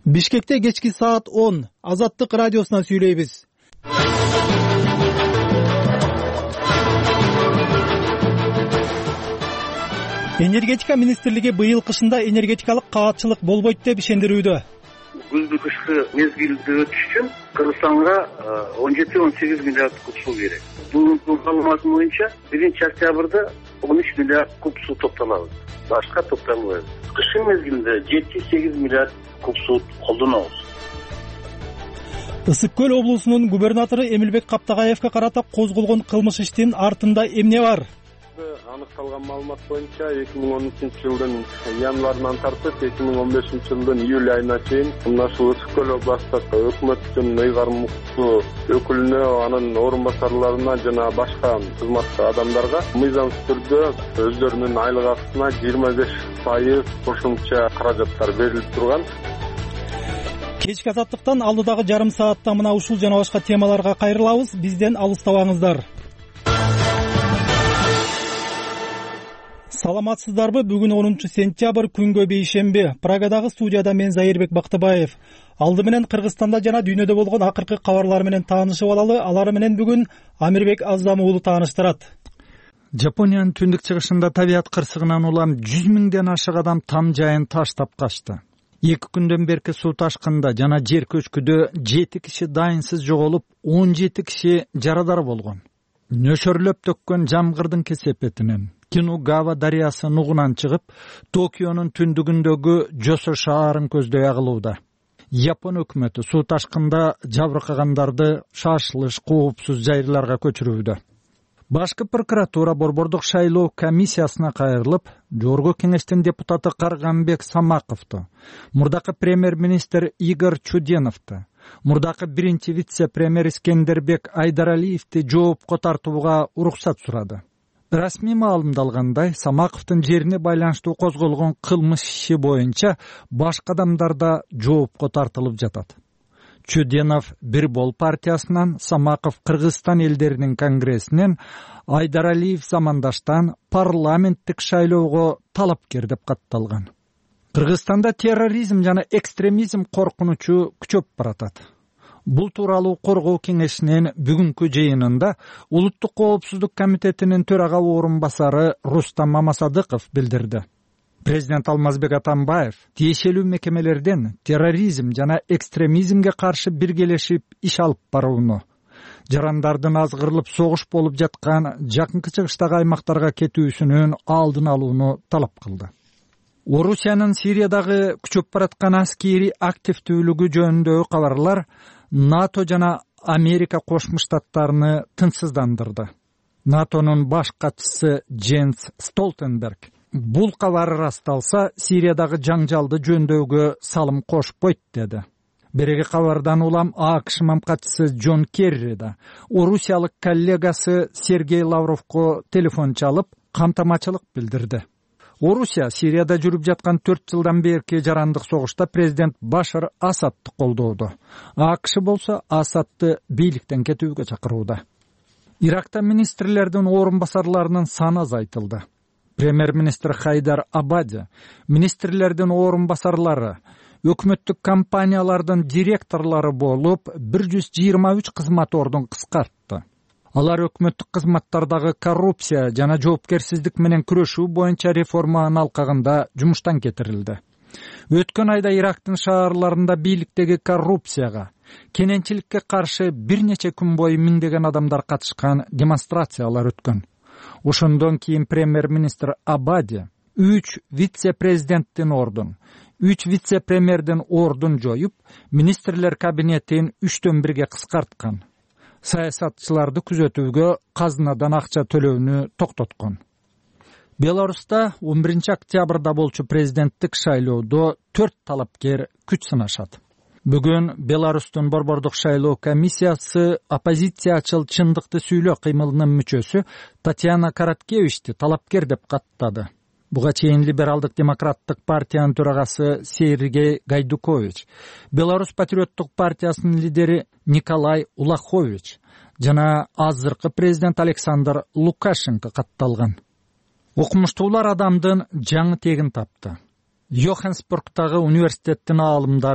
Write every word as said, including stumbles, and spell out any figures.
Бишкекте кечки саат он Азаттык радиосунан сүйлөйбүз. Энергетика министрлиги быйыл кышында энергетикалык каатчылык болбойт деп ишендирүүдө. Күздү кышкы мезгилди өтүш үчүн Кыргызстанга он жети он сегиз миллиард куб суу керек. Бүгүнкү маалымат боюнча биринчи октябрда он үч миллиард куб суу топтолобуз. Башка топтолбойбуз. Кышын мезгилинде жети сегиз миллиард куб суу колдонобуз. Ысык көл облусунун губернатору Эмилбек Каптагаевге карата козголгон кылмыш иштин артында эмне бар? Аныкталган маалымат боюнча эки миң он үчүнчү жылдын январынан тартып эки миң он бешинчи жылдын июль айына чейин мына ушул Ысык көл областтык өкмөттүн ыйгармыктуу өкүлүнө, анын орун басарларына жана башка кызматтуу адамдарга мыйзамсыз түрдө өздөрүнүн айлык акысына жыйырма беш пайыз кошумча каражаттар берилип турган. Кечки Азаттыктан алдыдагы жарым саатта мына ушул жана башка темаларга кайрылабыз. Бизден алыстабаңыздар. Саламатсыздарбы? Бүгүн онунчу сентябрь, күнгө бейшемби. Прагадагы студияда мен Зайырбек Бактыбаев. Алды менен Кыргызстанда жана дүйнөдө болгон акыркы кабарлар менен таанышып алалы. Алар менен бүгүн Амирбек Аздам уулу тааныштырат. Жапониянын түндүк чыгышында табият кырсыгынан улам жүз миңден ашык адам там жайын таштап качты. Эки күндөн берки суу ташкында жана жер көчкүдө жети киши дайынсыз жоголуп, он жети киши жарадар болгон. Нөшөрлөп төккөн жамгырдын кесепетинен Кинугава дарыясы нугунан чыгып, Токионун түндүгүндөгү Жосо шаарын көздөй агылууда. Япон өкмөтү суу ташкында жабыркагандарды шашылыш коопсуз жайларга көчүрүүдө. Башкы прокуратура борбордук шайлоо комиссиясына кайрылып, жогорку кеңештин депутаты Карганбек Самаковду, мурдакы премьер-министр Игорь Чуденовду, мурдакы биринчи вице-премьер Искендербек Айдаралиевди жоопко тартууга уруксат сурады. Расмий маалымдалгандай, Самаковдун жерине байланыштуу козголгон кылмыш иши боюнча башка адамдар да жоопко тартылып жатат. Чуденов Бир бол партиясынан, Самаков Кыргызстан элдеринин конгрессинен, Айдаралиев замандаштан парламенттик шайлоого талапкер деп катталган. Кыргызстанда терроризм жана экстремизм коркунучу күчөп баратат. Бул тууралуу коргоо кеңешинин бүгүнкү жыйынында Улуттук коопсуздук комитетинин төрага орун басары Рустам Мамасадыков билдирди. Президент Алмазбек Атамбаев тиешелүү мекемелерден терроризм жана экстремизмге каршы биргелешип иш алып барууну, жарандардын азгырылып согуш болуп жаткан жакынкы чыгыштагы аймактарга кетүүсүнүн алдын алууну талап кылды. Орусиянын Сириядагы күчөп бараткан аскери активдүүлүгү жөнүндөгү кабарлар НАТО жана Америка Кошмо Штаттарыны тынчсыздандырды. НАТОнун баш катчысы Дженс Столтенберг бул кабар ырасталса, Сириядагы жаңжалды жөндөөгө салым кошпойт деди. Береги кабардан улам АКШ мамкатчысы Джон Керри да орусиялык коллегасы Сергей Лавровго телефон чалып, камтамачылык билдирди. Орусия Сирияда жүрүп жаткан төрт жылдан берки жарандык согушта президент Башар Асадты колдоодо. АКШ болсо Асадты бийликтен кетүүгө чакырууда. Иракта министрлердин орун басарларынын саны азайтылды. Премьер-министр Хайдар Абади министрлердин орун басарлары, өкмөттүк компаниялардын директорлору болуп бир жүз жыйырма үч кызмат ордун кыскартты. Алар өкмөттүк кызматтардагы коррупция жана жоопкерсиздик менен күрөшүү боюнча реформанын алкагында жумуштан кетирилди. Өткөн айда Ирактын шаарларында бийликтеги коррупцияга, кененчиликке каршы бир нече күн бою миңдеген адамдар катышкан демонстрациялар өткөн. Ошондон кийин премьер-министр Абади үч вице-президенттин ордун, үч вице-премьердин ордун жоюп, министрлер кабинетин үчтөн бирге кыскарткан. Саясатчыларды күзөтүүгө казынадан акча төлөөнү токтоткон. Беларуста он биринчи октябрда болчу президенттик шайлоодо төрт талапкер күч сынашат. Бүгүн Беларустун борбордук шайлоо комиссиясы оппозициячыл чындыкты сүйлөө кыймылынын мүчөсү Татьяна Короткевичти талапкер деп каттады. Буга чейин либералдык демократтык партиянын төрагасы Сергей Гайдукович, Беларусь патриоттук партиясынын лидери Николай Улахович жана азыркы президент Александр Лукашенко катталган. Окумуштуулар адамдын жаңы тегин тапты. Йоханнесбургтагы университеттин аалымдары